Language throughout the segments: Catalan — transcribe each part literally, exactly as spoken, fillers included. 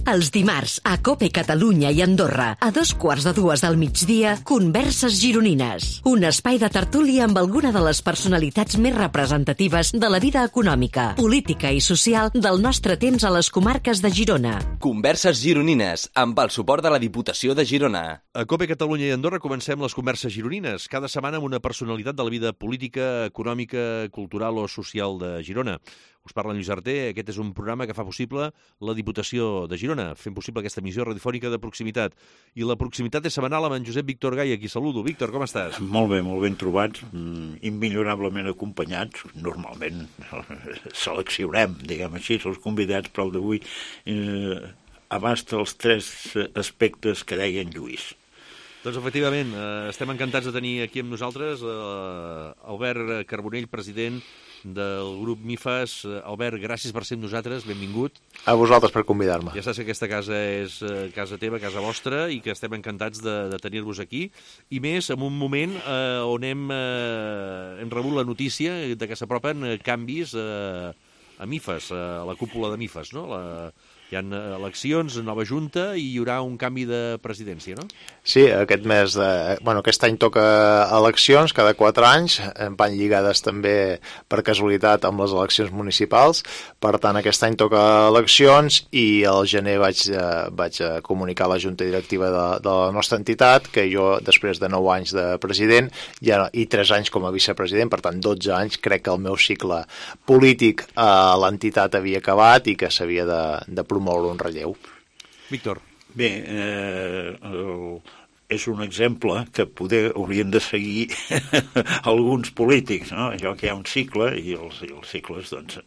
Els dimarts, a COPE Catalunya i Andorra, a dos quarts de dues del migdia, Converses Gironines. Un espai de tertúlia amb alguna de les personalitats més representatives de la vida econòmica, política i social del nostre temps a les comarques de Girona. Converses Gironines, amb el suport de la Diputació de Girona. A COPE Catalunya i Andorra comencem les Converses Gironines, cada setmana amb una personalitat de la vida política, econòmica, cultural o social de Girona. Us parla en Lluís Arter, aquest és un programa que fa possible la Diputació de Girona, fent possible aquesta emissió radiofònica de proximitat. I la proximitat és setmanal amb en Josep Víctor Gai, a qui saludo. Víctor, com estàs? Molt bé, molt ben trobats, immillorablement acompanyats. Normalment seleccionem, diguem així, els convidats, però el d'avui eh, abasta els tres aspectes que deia en Lluís. Doncs, efectivament, eh, estem encantats de tenir aquí amb nosaltres eh, Albert Carbonell, president del grup MIFAS. Albert, gràcies per ser amb nosaltres, benvingut. A vosaltres per convidar-me. Ja saps que aquesta casa és eh, casa teva, casa vostra, i que estem encantats de, de tenir-vos aquí, i més en un moment eh, on hem, eh, hem rebut la notícia de que s'apropen eh, canvis eh, a MIFAS, a la cúpula de MIFAS, no? La... Hi ha eleccions, nova junta, i hi haurà un canvi de presidència, no? Sí, aquest mes de... Bueno, aquest any toca eleccions, cada quatre anys, van lligades també per casualitat amb les eleccions municipals, per tant aquest any toca eleccions i al gener vaig, vaig comunicar a la junta directiva de, de la nostra entitat que jo, després de nou anys de president ja, i tres anys com a vicepresident, per tant dotze anys, crec que el meu cicle polític a l'entitat havia acabat i que s'havia de, de promoure molt un relleu. Víctor. Bé, eh, el, és un exemple que poder haurien de seguir alguns polítics, no? Allò que hi ha un cicle i els, i els cicles, doncs,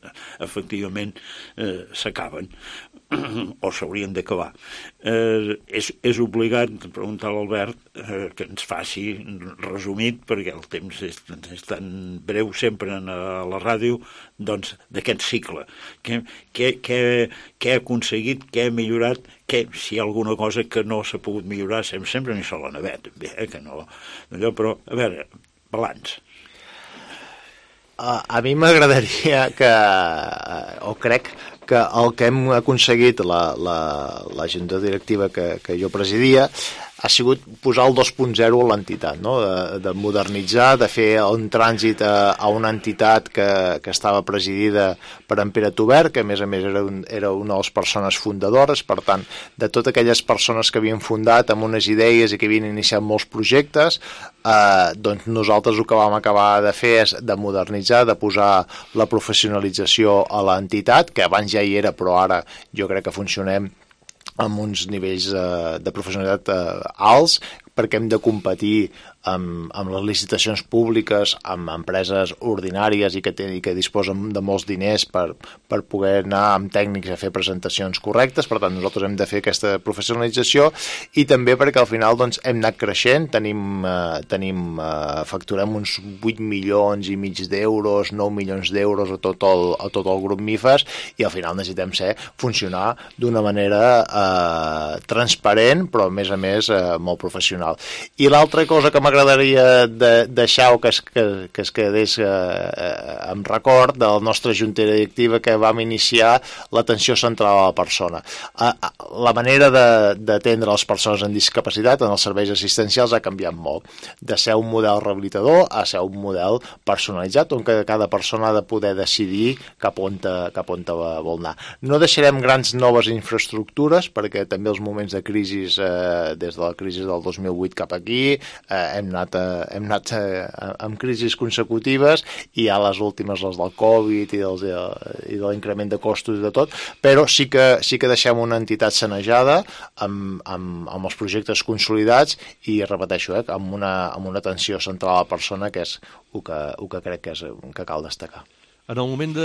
efectivament eh, s'acaben o s'haurien d'acabar. Eh, és, és obligat preguntar a l'Albert eh, que ens faci resumit, perquè el temps és, és tan breu sempre a la ràdio, doncs, d'aquest cicle. Què, què, què, què ha aconseguit, què ha millorat, què, si hi ha alguna cosa que no s'ha pogut millorar, sempre, sempre n'hi sol la navet, bé, eh, que no, allò, però, a veure, balanç. Uh, a mi m'agradaria que, uh, o crec que el que hem aconseguit la, la, la junta directiva que, que jo presidia ha sigut posar el dos punt zero a l'entitat, no? de, de modernitzar, de fer un trànsit a, a una entitat que, que estava presidida per en Pere Tobert, que a més a més era, un, era una de les persones fundadores, per tant, de totes aquelles persones que havien fundat amb unes idees i que havien iniciat molts projectes, eh, doncs nosaltres el que vam acabar de fer és de modernitzar, de posar la professionalització a l'entitat, que abans ja hi era, però ara jo crec que funcionem amb uns nivells eh, de professionalitat eh, alts, perquè hem de competir amb, amb les licitacions públiques, amb empreses ordinàries i que, ten, i que disposen de molts diners per, per poder anar amb tècnics a fer presentacions correctes. Per tant, nosaltres hem de fer aquesta professionalització i també perquè al final doncs, hem anat creixent, tenim, eh, tenim eh, facturem uns vuit milions i mig d'euros, nou milions d'euros a tot el, a tot el grup MIFAS, i al final necessitem ser, funcionar d'una manera eh, transparent, però a més a més eh, molt professional. I l'altra cosa que m'agradaria de deixar o que es, que, que es quedés eh, amb record del nostre junta directiva, que vam iniciar l'atenció central a la persona. Eh, la manera d'atendre les persones amb discapacitat en els serveis assistencials ha canviat molt. De ser un model rehabilitador a ser un model personalitzat, on cada persona ha de poder decidir cap on, te, cap on te vol anar. No deixarem grans noves infraestructures, perquè també els moments de crisi, eh, des de la crisi del dos mil vuit cap aquí, eh, hem anat, eh, hem anat eh, amb crisis consecutives, i ja les últimes, les del Covid i, dels, i de l'increment de costos i de tot, però sí que, sí que deixem una entitat sanejada amb, amb, amb els projectes consolidats i, repeteixo, eh, amb, una, amb una atenció central a la persona, que és el que, el que crec que, és, que cal destacar. En el moment de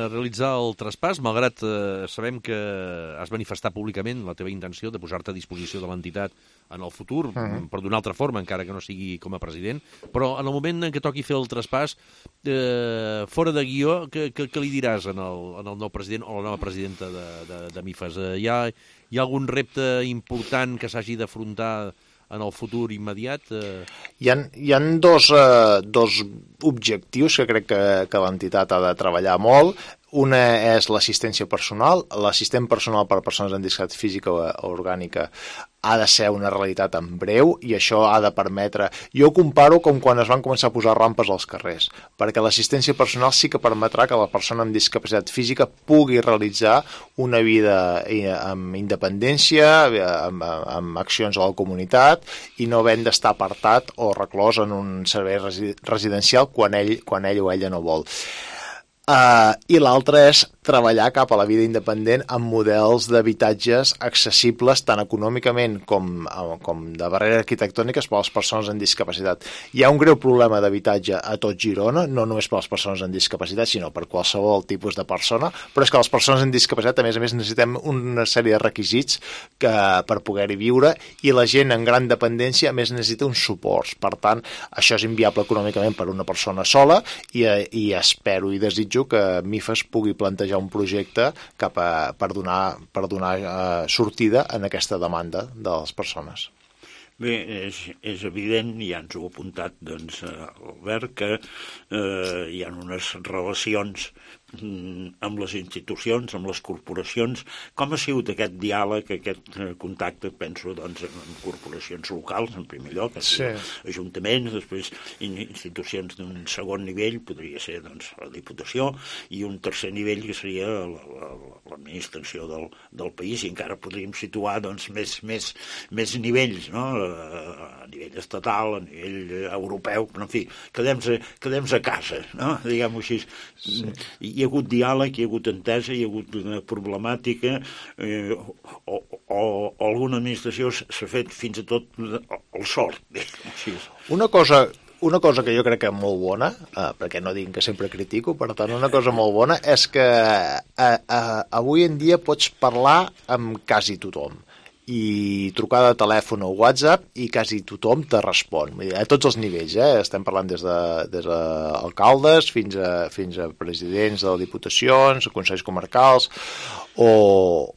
realitzar el traspàs, malgrat eh, sabem que has manifestat públicament la teva intenció de posar-te a disposició de l'entitat en el futur, uh-huh. però d'una altra forma, encara que no sigui com a president, però en el moment en què toqui fer el traspàs, eh, fora de guió, què, què, què li diràs en el, en el nou president o la nova presidenta de, de, de MIFAS? Eh, hi, ha, hi ha algun repte important que s'hagi d'afrontar en el futur immediat? Eh... Hi ha, hi ha dos, eh, dos objectius que crec que, que l'entitat ha de treballar molt. una és l'assistència personal. L'assistent personal per a persones amb discapacitat física o orgànica ha de ser una realitat en breu i això ha de permetre... Jo ho comparo com quan es van començar a posar rampes als carrers, perquè l'assistència personal sí que permetrà que la persona amb discapacitat física pugui realitzar una vida amb independència, amb, amb accions a la comunitat i no havent d'estar apartat o reclòs en un servei residencial quan ell, quan ell o ella no vol. Uh, I l'altre és treballar cap a la vida independent amb models d'habitatges accessibles tant econòmicament com, com de barreres arquitectòniques per a les persones amb discapacitat. Hi ha un greu problema d'habitatge a tot Girona, no només per a les persones amb discapacitat, sinó per qualsevol tipus de persona, però és que les persones amb discapacitat, a més a més, necessitem una sèrie de requisits que, per poder-hi viure, i la gent en gran dependència, a més, necessita uns suports. Per tant, això és inviable econòmicament per una persona sola i, i espero i desitjo que MIFAS pugui plantejar un projecte cap a, per donar, per donar uh, sortida en aquesta demanda de les persones. Bé, és, és evident, ja ens ho ha apuntat doncs, Albert, que eh, hi ha unes relacions amb les institucions, amb les corporacions. Com ha sigut aquest diàleg, aquest contacte, penso, doncs, amb corporacions locals, en primer lloc, sí. Ajuntaments, després institucions d'un segon nivell, podria ser doncs, la Diputació, i un tercer nivell que seria l'administració del, del país, i encara podríem situar doncs, més, més, més nivells, no? A nivell estatal, a nivell europeu, però en fi, quedem-se quedem a casa, no? Diguem-ho així. Sí. Hi ha hagut diàleg, hi ha hagut entesa, hi ha hagut una problemàtica, eh, o, o, o alguna administració s'ha fet fins a tot el sort. Una cosa, una cosa que jo crec que és molt bona, eh, perquè no dic que sempre critico, per tant, una cosa molt bona és que eh, eh, avui en dia pots parlar amb quasi tothom, i trucada de telèfon o WhatsApp i quasi tothom te respon, a tots els nivells, eh? Estem parlant des de, des de alcaldes fins a, fins a presidents de diputacions, consells comarcals o,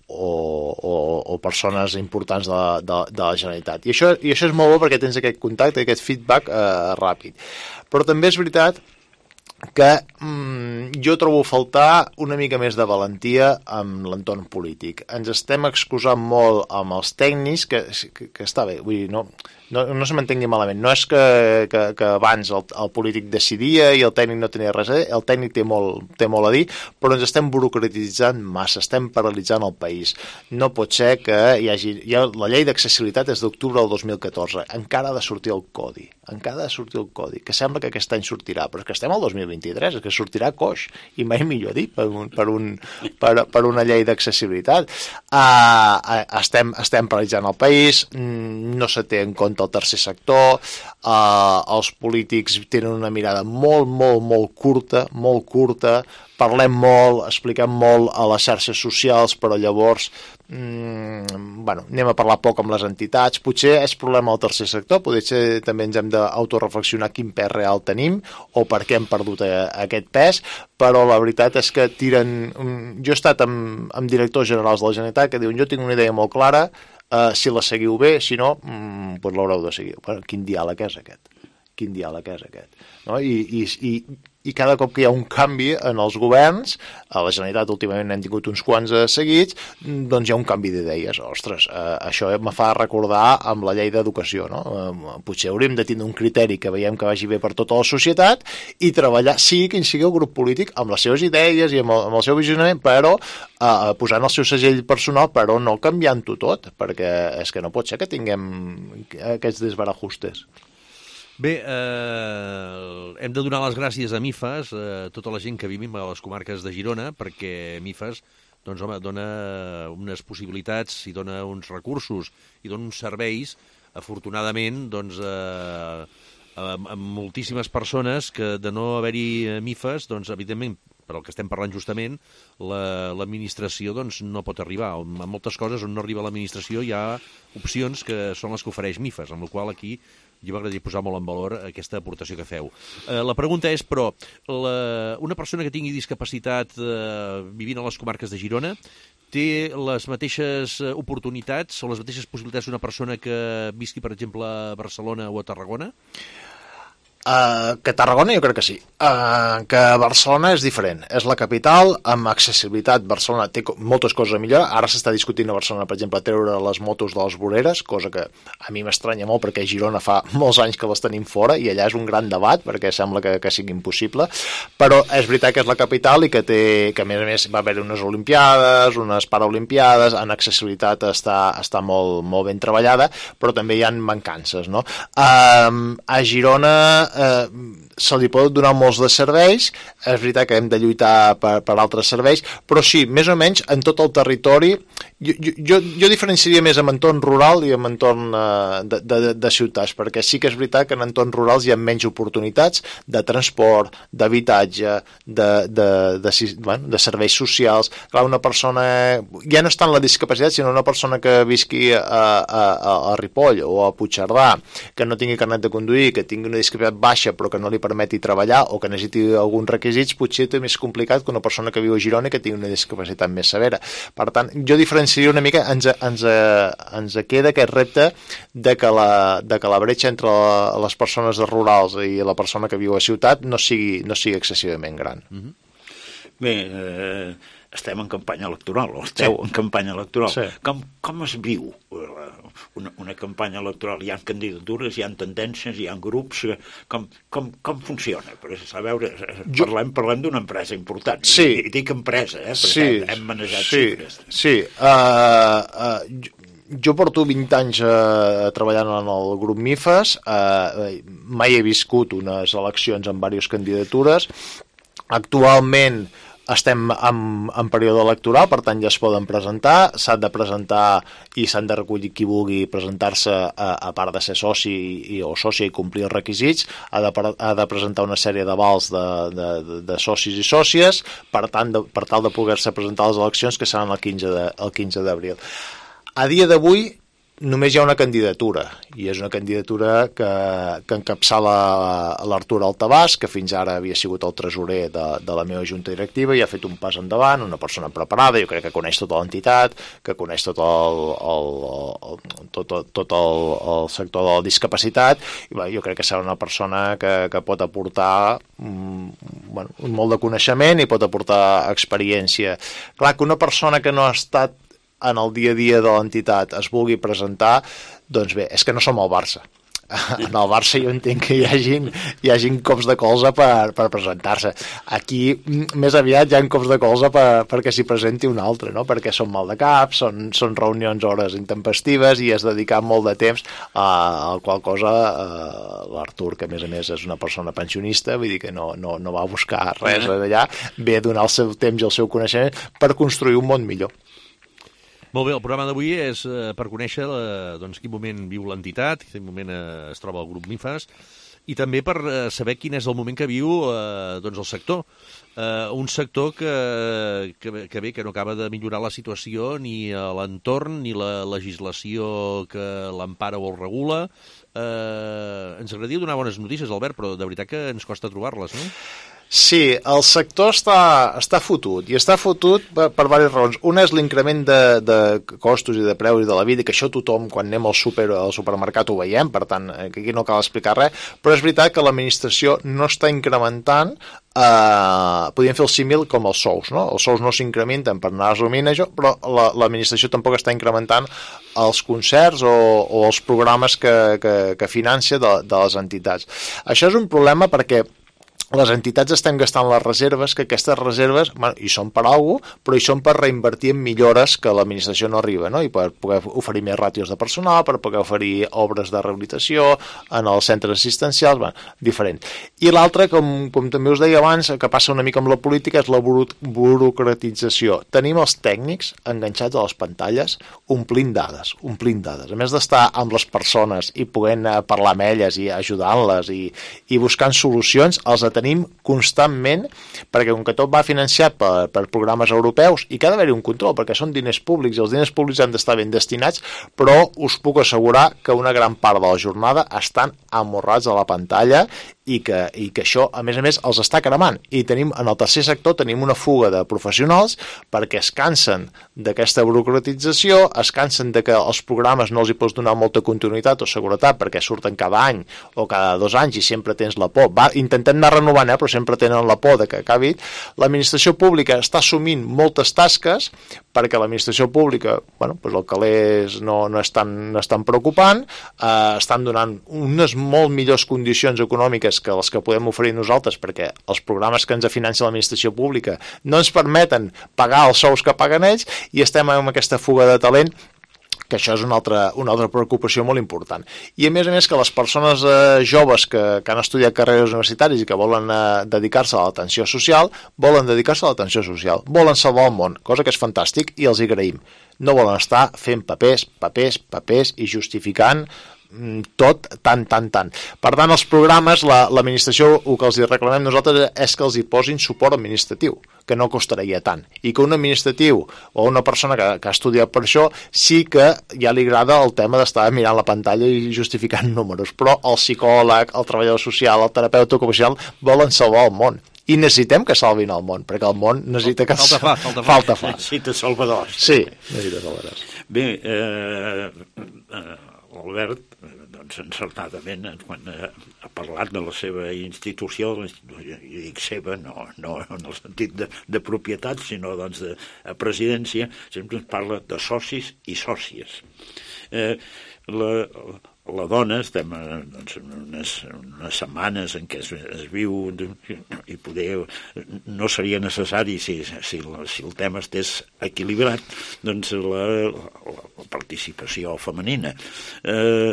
o, o, o persones importants de, de, de la Generalitat. I això, i això és molt bo perquè tens aquest contacte, aquest feedback eh, ràpid. Però també és veritat que mm, jo trobo a faltar una mica més de valentia amb l'entorn polític. Ens estem excusant molt amb els tècnics, que, que, que està bé, vull dir, no, no, no se m'entengui malament, no és que, que, que abans el, el polític decidia i el tècnic no tenia res a dir, el tècnic té molt, té molt a dir, però ens estem burocratitzant massa, estem paralitzant el país. No pot ser que hi hagi... Hi ha, la llei d'accessibilitat és d'octubre del dos mil catorze, encara ha de sortir el codi, encara ha de sortir el codi, que sembla que aquest any sortirà, però és que estem al dos mil vint-i-tres, és que sortirà coix, i mai millor dit, per, un, per, un, per, per una llei d'accessibilitat. Uh, estem, estem paralitzant el país, no se té en compte el tercer sector, uh, els polítics tenen una mirada molt, molt, molt curta, molt curta, parlem molt, expliquem molt a les xarxes socials, però llavors mm, bueno, anem a parlar poc amb les entitats. Potser és problema del tercer sector, potser també ens hem d'autoreflexionar quin pes real tenim o per què hem perdut aquest pes, però la veritat és que tiren... Jo he estat amb, amb directors generals de la Generalitat que diuen jo tinc una idea molt clara, uh, si la seguiu bé, si no, mm, doncs l'haureu de seguir. Bueno, quin diàleg és aquest? Quin diàleg és aquest? No? I, i, i, i cada cop que hi ha un canvi en els governs, a la Generalitat últimament hem tingut uns quants eh, seguits, doncs hi ha un canvi d'idees. Ostres, eh, això me fa recordar amb la llei d'educació, no? Eh, potser hauríem de tindre un criteri que veiem que vagi bé per tota la societat i treballar, sigui quin sigui el grup polític, amb les seves idees i amb el, amb el seu visionament, però eh, posant el seu segell personal, però no canviant-ho tot, perquè és que no pot ser que tinguem aquests desbarajustes. Bé, eh, hem de donar les gràcies a MIFAS, a tota la gent que vivim a les comarques de Girona, perquè MIFAS doncs, home, dona unes possibilitats i dona uns recursos i dona uns serveis, afortunadament, doncs, eh, a, a moltíssimes persones que de no haver-hi MIFAS, doncs, evidentment, per al que estem parlant justament, l'administració la, doncs, no pot arribar. En moltes coses on no arriba l'administració hi ha opcions que són les que ofereix MIFAS, amb la qual aquí jo m'agradaria posar molt en valor aquesta aportació que feu. Eh, la pregunta és, però, la, una persona que tingui discapacitat eh, vivint a les comarques de Girona té les mateixes oportunitats o les mateixes possibilitats d'una persona que visqui, per exemple, a Barcelona o a Tarragona? Uh, que Tarragona jo crec que sí, uh, que Barcelona és diferent, és la capital, amb accessibilitat. Barcelona té moltes coses a millorar. Ara s'està discutint a Barcelona, per exemple, treure les motos de les voreres, cosa que a mi m'estranya molt perquè a Girona fa molts anys que les tenim fora i allà és un gran debat perquè sembla que, que sigui impossible, però és veritat que és la capital i que té, que a més a més va haver unes olimpiades, unes paraolimpiades, en accessibilitat està, està molt, molt ben treballada, però també hi ha mancances, no? Uh, a Girona Eh, se li pot donar molts de serveis, és veritat que hem de lluitar per, per altres serveis, però sí, més o menys en tot el territori jo, jo, jo diferenciaria més en entorn rural i en entorn eh, de, de, de ciutats, perquè sí que és veritat que en entorns rurals hi ha menys oportunitats de transport, d'habitatge, de, de, de, de, bueno, de serveis socials. Clar, una persona, ja no està en la discapacitat, sinó una persona que visqui a, a, a, a Ripoll o a Puigcerdà, que no tingui carnet de conduir, que tingui una discapacitat baixa però que no li permeti treballar o que necessiti alguns requisits, potser és més complicat que una persona que viu a Girona i que tingui una discapacitat més severa. Per tant, jo diferenciaria una mica, ens, ens, ens queda aquest repte de que la, de que la bretxa entre la, les persones rurals i la persona que viu a ciutat no sigui, no sigui excessivament gran. Mm-hmm. Bé, eh, estem en campanya electoral, o esteu sí. en campanya electoral. Sí. Com, com es viu una, una campanya electoral? Hi ha candidatures, hi ha tendències, hi ha grups, com, com, com funciona? Per a veure, jo... parlem, parlem d'una empresa important, sí. I, i dic empresa, eh, perquè sí. hem, hem manejat sí. xifres. Sí, uh, uh, jo porto vint anys uh, treballant en el grup MIFAS, uh, mai he viscut unes eleccions amb diverses candidatures. Actualment estem en, en període electoral, per tant ja es poden presentar, s'han de presentar i s'han de recollir qui vulgui presentar-se a, a part de ser soci i, o sòcia i complir els requisits, ha de, ha de presentar una sèrie d'avals de, de, de socis i sòcies, per tant, de, per tal de poder-se presentar a les eleccions que seran el quinze d'abril. A dia d'avui només hi ha una candidatura, i és una candidatura que, que encapçala l'Artur Altabàs, que fins ara havia sigut el tresorer de, de la meva junta directiva i ha fet un pas endavant, una persona preparada, jo crec que coneix tota l'entitat, que coneix tot el, el, el, tot, tot el, el sector de la discapacitat, i bé, jo crec que serà una persona que, que pot aportar mm, bueno, molt de coneixement i pot aportar experiència. Clar que una persona que no ha estat en el dia a dia de l'entitat es vulgui presentar, doncs bé, és que no som el Barça. En el Barça jo entenc que hi hagin, hi hagin cops de colze per, per presentar-se. Aquí més aviat hi ha cops de colze per, perquè s'hi presenti un altre, no? Perquè són mal de cap, són, són reunions hores intempestives i has dedicat molt de temps a, a qual cosa eh, l'Artur, que a més a més és una persona pensionista, vull dir que no, no, no va buscar res d'allà, ve a donar el seu temps i el seu coneixement per construir un món millor. Molt bé, el programa d'avui és eh, per conèixer eh, doncs, quin moment viu l'entitat, quin moment eh, es troba el grup MIFAS, i també per eh, saber quin és el moment que viu eh, doncs el sector. Eh, un sector que, que, que bé, que no acaba de millorar la situació ni a l'entorn, ni la legislació que l'empara o el regula. Eh, ens agradaria donar bones notícies, Albert, però de veritat que ens costa trobar-les, no? Sí, el sector està, està fotut, i està fotut per, per diverses raons. Una és l'increment de, de costos i de preus de la vida, que això tothom, quan anem al, super, al supermercat ho veiem, per tant, aquí no cal explicar res, però és veritat que l'administració no està incrementant, eh, podríem fer el símil com els sous, no? Els sous no s'incrementen per anar resumint això, però la, l'administració tampoc està incrementant els concerts o, o els programes que, que, que financia de, de les entitats. Això és un problema perquè les entitats estem gastant les reserves, que aquestes reserves, bueno, hi són per alguna cosa, però hi són per reinvertir en millores que l'administració no arriba, no? I per poder oferir més ràtios de personal, per poder oferir obres de rehabilitació en els centres assistencials, bueno, diferent. I l'altre, com, com també us deia abans, que passa una mica amb la política, és la buro- burocratització. Tenim els tècnics enganxats a les pantalles omplint dades, omplint dades. A més d'estar amb les persones i podent parlar amb elles i ajudant-les i, i buscant solucions, els tenim constantment, perquè com que tot va financiat per, per programes europeus i que ha d'haver-hi un control, perquè són diners públics i els diners públics han d'estar ben destinats, però us puc assegurar que una gran part de la jornada estan amorrats a la pantalla i que, i que això, a més a més, els està cremant. I tenim, en el tercer sector tenim una fuga de professionals perquè es cansen d'aquesta burocratització, es cansen de que els programes no els hi pots donar molta continuïtat o seguretat perquè surten cada any o cada dos anys i sempre tens la por. Va, intentem anar renovant, eh, però sempre tenen la por de que acabi. L'administració pública està assumint moltes tasques perquè l'administració pública, bueno, doncs el calés no, no, és tan, no és tan preocupant, eh, estan donant unes molt millors condicions econòmiques que les que podem oferir nosaltres, perquè els programes que ens finança l'administració pública no ens permeten pagar els sous que paguen ells, i estem amb aquesta fuga de talent, que això és una altra, una altra preocupació molt important. I a més a més que les persones eh, joves que, que han estudiat carreres universitàries i que volen eh, dedicar-se a l'atenció social, volen dedicar-se a l'atenció social, volen salvar el món, cosa que és fantàstic i els hi agraïm. No volen estar fent papers, papers, papers i justificant tot tant, tant, tant. Per tant, els programes, la, l'administració, el que els hi reclamem nosaltres és que els hi posin suport administratiu, que no costaria tant, i que un administratiu o una persona que, que ha estudiat per això sí que ja li agrada el tema d'estar mirant la pantalla i justificant números, però el psicòleg, el treballador social, el terapeuta ocupacional volen salvar el món. I necessitem que salvin el món, perquè el món necessita que... Falta fa, falta fa. Falta fa. Necessita salvadors. Sí, necessita salvadors. Bé, eh, eh, l'Albert, doncs encertadament, quan ha parlat de la seva institució, jo dic seva, no, no en el sentit de, de propietat, sinó doncs de presidència, sempre ens parla de socis i sòcies. Eh, la, la dona, estem doncs, en unes, unes setmanes en què es, es viu i poder, no seria necessari si, si, la, si el tema estés equilibrat, doncs la, la, la participació femenina. Eh,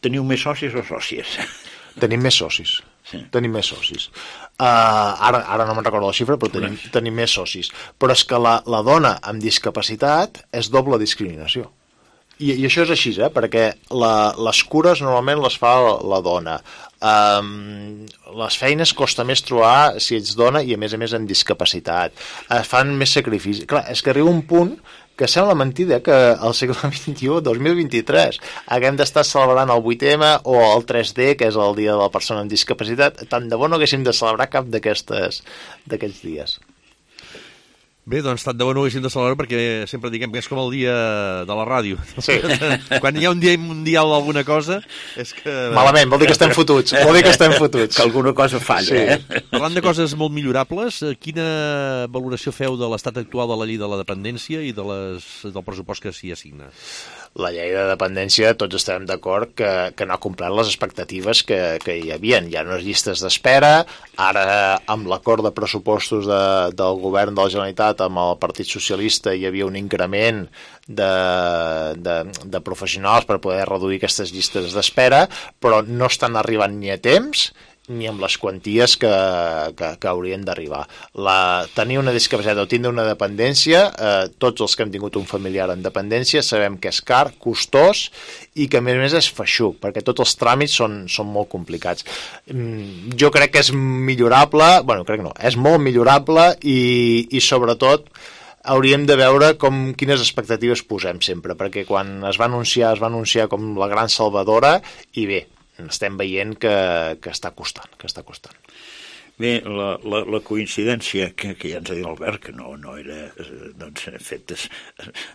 teniu més socis o sòcies? Tenim més socis. Sí. Tenim més socis. Uh, ara, ara no me'n recordo la xifra, però tenim, tenim més socis. Però és que la, la dona amb discapacitat és doble discriminació. I, i això és així, eh? Perquè la, les cures normalment les fa la, la dona. Um, les feines costa més trobar si ets dona i a més a més amb discapacitat. Uh, fan més sacrifici. Clar, és que arriba un punt que sembla mentida que al segle vint-i-u, dos mil vint-i-tres, haguem d'estar celebrant el vuit eme o el tres de, que és el dia de la persona amb discapacitat. Tant de bo no haguéssim de celebrar cap d'aquests dies. Bé, doncs tant de bo no ho haguéssim de celebrar perquè sempre diguem que és com el dia de la ràdio. Sí. Quan hi ha un dia mundial d'alguna cosa és que... Malament, vol dir que estem fotuts. Vol dir que estem fotuts. Que alguna cosa falla, sí. eh? Parlant de coses molt millorables, quina valoració feu de l'estat actual de la llei de la dependència i de les, del pressupost que s'hi assigna? La llei de dependència, tots estem d'acord que, que no ha complert les expectatives que, que hi havia. Hi ha unes llistes d'espera, ara amb l'acord de pressupostos de, del govern de la Generalitat amb el Partit Socialista hi havia un increment de, de, de professionals per poder reduir aquestes llistes d'espera, però no estan arribant ni a temps ni amb les quanties que, que, que haurien d'arribar. La, tenir una discapacitat o tindre una dependència, eh, tots els que hem tingut un familiar en dependència sabem que és car, costós i que a més a més és feixuc, perquè tots els tràmits són, són molt complicats. Mm, jo crec que és millorable, bueno, crec no, és molt millorable i, i sobretot hauríem de veure com, quines expectatives posem sempre, perquè quan es va anunciar, es va anunciar com la gran salvadora i bé, estem veient que, que està costant, que està costant. Bé, la, la, la coincidència que, que ja ens ha dit l'Albert, que no, no era doncs, fet es,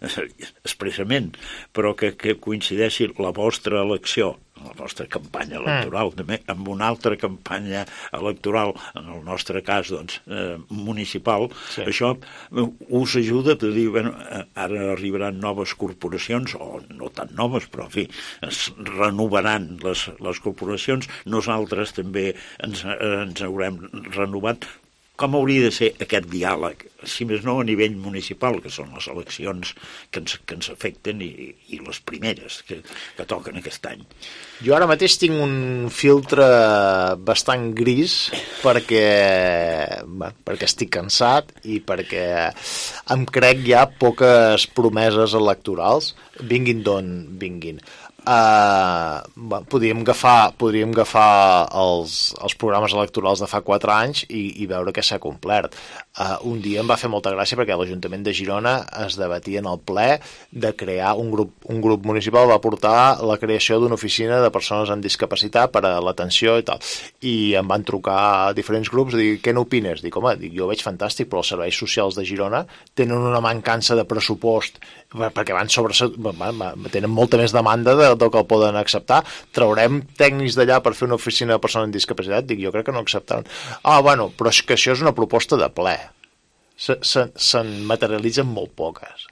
expressament, però que, que coincideixi la vostra elecció, la vostra campanya electoral, mm. també amb una altra campanya electoral, en el nostre cas, doncs, eh, municipal, sí. Això us ajuda a dir, bueno, ara arribaran noves corporacions, o no tan noves, però, en fi, es renovaran les, les corporacions, nosaltres també ens, ens haurem renovat. Com hauria de ser aquest diàleg, si més no a nivell municipal, que són les eleccions que ens, que ens afecten i, i les primeres que, que toquen aquest any? Jo ara mateix tinc un filtre bastant gris perquè, bé, perquè estic cansat i perquè em crec ja poques promeses electorals, vinguin d'on vinguin. Uh, podríem agafar, podríem agafar els, els programes electorals de fa quatre anys i, i veure què s'ha complert. Uh, un dia em va fer molta gràcia perquè l'Ajuntament de Girona es debatia en el ple de crear un grup, un grup municipal va portar la creació d'una oficina de persones amb discapacitat per a l'atenció i tal. I em van trucar diferents grups i dir, què n'opines? Dic, home, dic, jo ho veig fantàstic, però els serveis socials de Girona tenen una mancança de pressupost perquè van sobre, tenen molta més demanda de, del que el poden acceptar. Traurem tècnics d'allà per fer una oficina de persones amb discapacitat? Dic, jo crec que no acceptaran. Ah, bueno, però és que això és una proposta de ple. Se'n se, se materialitzen molt poques.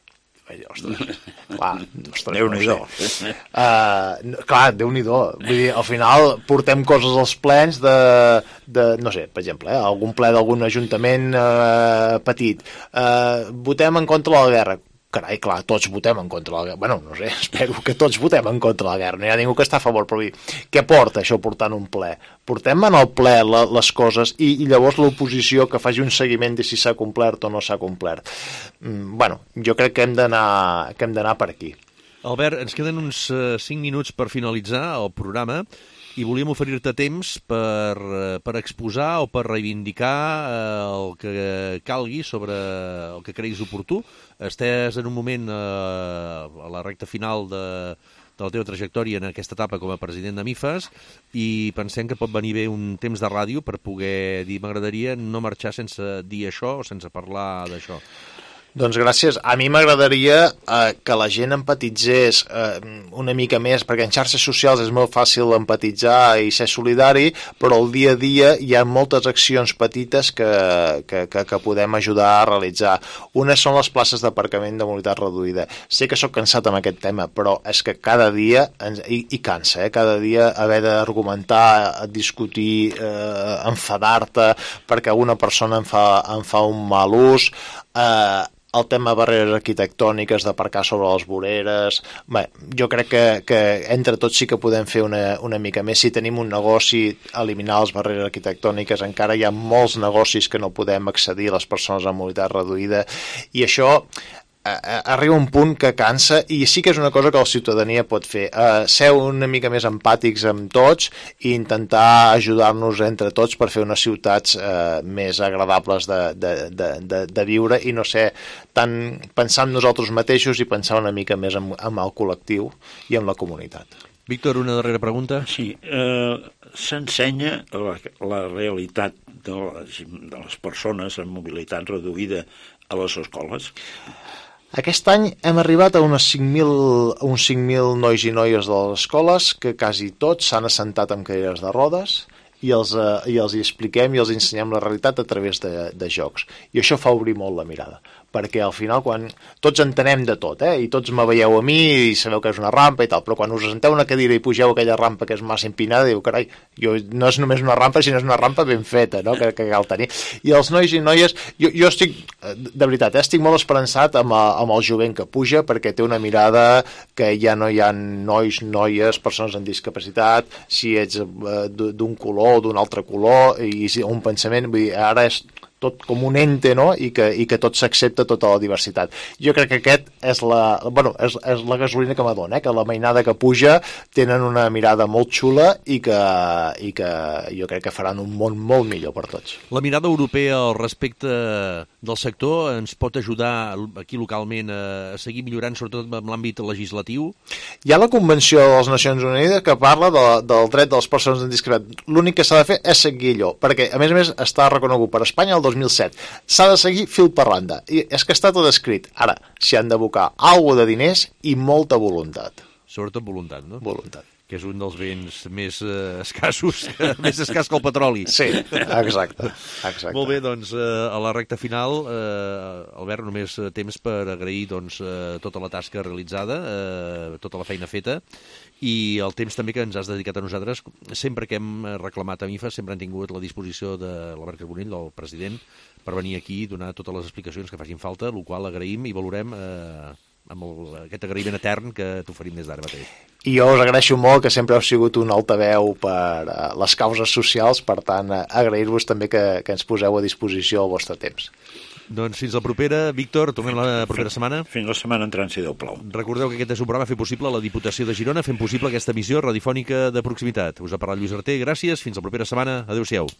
Ostres, clar, ostres, Déu-n'hi-do. No sé. uh, clar, Déu-n'hi-do. Vull dir, al final portem coses als plens de, de no sé, per exemple, eh, algun ple d'algun ajuntament uh, petit. Uh, votem en contra de la guerra. Carai, clar, tots votem en contra de la guerra. Bueno, no sé, espero que tots votem en contra de la guerra. No hi ha ningú que està a favor, però què porta això portant un ple? Portem en el ple la, les coses i, i llavors l'oposició que faci un seguiment de si s'ha complert o no s'ha complert. Mm, bueno, jo crec que hem d'anar que hem d'anar per aquí. Albert, ens queden uns uh, cinc minuts per finalitzar el programa i volíem oferir-te temps per, per exposar o per reivindicar eh, el que calgui sobre el que creguis oportú. Estàs en un moment eh, a la recta final de, de la teva trajectòria en aquesta etapa com a president de MIFAS i pensem que pot venir bé un temps de ràdio per poder dir m'agradaria no marxar sense dir això o sense parlar d'això. Doncs gràcies. A mi m'agradaria eh, que la gent empatitzés eh, una mica més, perquè en xarxes socials és molt fàcil empatitzar i ser solidari, però al dia a dia hi ha moltes accions petites que, que, que, que podem ajudar a realitzar. Unes són les places d'aparcament de mobilitat reduïda. Sé que sóc cansat amb aquest tema, però és que cada dia, ens, i, i cansa, eh, cada dia haver d'argumentar, discutir, eh, enfadar-te perquè una persona en fa, en fa un mal ús, eh, el tema de barreres arquitectòniques, d'aparcar sobre les voreres. Bé, jo crec que, que entre tots sí que podem fer una, una mica més. Si tenim un negoci, eliminar les barreres arquitectòniques, encara hi ha molts negocis que no podem accedir a les persones amb mobilitat reduïda, i això arriba un punt que cansa, i sí que és una cosa que la ciutadania pot fer, uh, ser una mica més empàtics amb tots i intentar ajudar-nos entre tots per fer unes ciutats uh, més agradables de, de, de, de, de viure i no ser tant pensar en nosaltres mateixos i pensar una mica més en, en el col·lectiu i en la comunitat. Víctor, una darrera pregunta. Sí, eh, s'ensenya la, la realitat de les, de les persones amb mobilitat reduïda a les escoles? Aquest any hem arribat a unes cinc mil, uns cinc mil nois i noies de les escoles que quasi tots s'han assentat amb cadires de rodes i els, eh, i els hi expliquem i els ensenyem la realitat a través de, de jocs. I això fa obrir molt la mirada, perquè al final quan tots entenem de tot, eh, i tots me veieu a mi i sabeu que és una rampa i tal, però quan us assenteu una cadira i pugeu aquella rampa que és massa empinada, diu, carai, jo, no és només una rampa, sinó és una rampa ben feta, no?, que, que cal tenir. I els nois i noies, jo, jo estic, de veritat, eh, estic molt esperançat amb, amb el jovent que puja, perquè té una mirada que ja no hi ha nois, noies, persones amb discapacitat, si ets eh, d'un color o d'un altre color, i un pensament, vull dir, ara és tot com un ente, no?, i que, i que tot s'accepta, tota la diversitat. Jo crec que aquest és la, bueno, és, és la gasolina que m'adona, eh? Que la mainada que puja tenen una mirada molt xula i que, i que jo crec que faran un món molt millor per tots. La mirada europea al respecte del sector ens pot ajudar aquí localment a seguir millorant, sobretot en l'àmbit legislatiu? Hi ha la Convenció de les Nacions Unides que parla de, del dret de les persones amb discapacitat. L'únic que s'ha de fer és seguir allò, perquè a més a més està reconegut per Espanya el dos mil set. S'ha de seguir fil per randa. I és que està tot escrit. Ara, s'hi han d'abocar alguna de diners i molta voluntat. Sobretot voluntat, no? Voluntat. Que és un dels béns més eh, escassos, més escàs que el petroli. Sí, exacte. exacte. Molt bé, doncs, eh, a la recta final, eh, Albert, només temps per agrair doncs, eh, tota la tasca realitzada, eh, tota la feina feta, i el temps també que ens has dedicat a nosaltres. Sempre que hem reclamat a MIFAS, sempre han tingut la disposició de l'Albert Carbonell, el president, per venir aquí i donar totes les explicacions que facin falta, el qual agraïm i valorem eh, amb el, aquest agraïment etern que t'oferim des d'ara mateix. I jo us agraeixo molt que sempre heu sigut un altaveu per uh, les causes socials, per tant, uh, agrair-vos també que, que ens poseu a disposició el vostre temps. Doncs fins la propera. Víctor, tornem la propera setmana. Fins la setmana entrant, si Déu plau. Recordeu que aquest és un programa fet possible a la Diputació de Girona, fent possible aquesta emissió radiofònica de proximitat. Us ha parlat Lluís Arter, gràcies, fins la propera setmana, adéu-siau.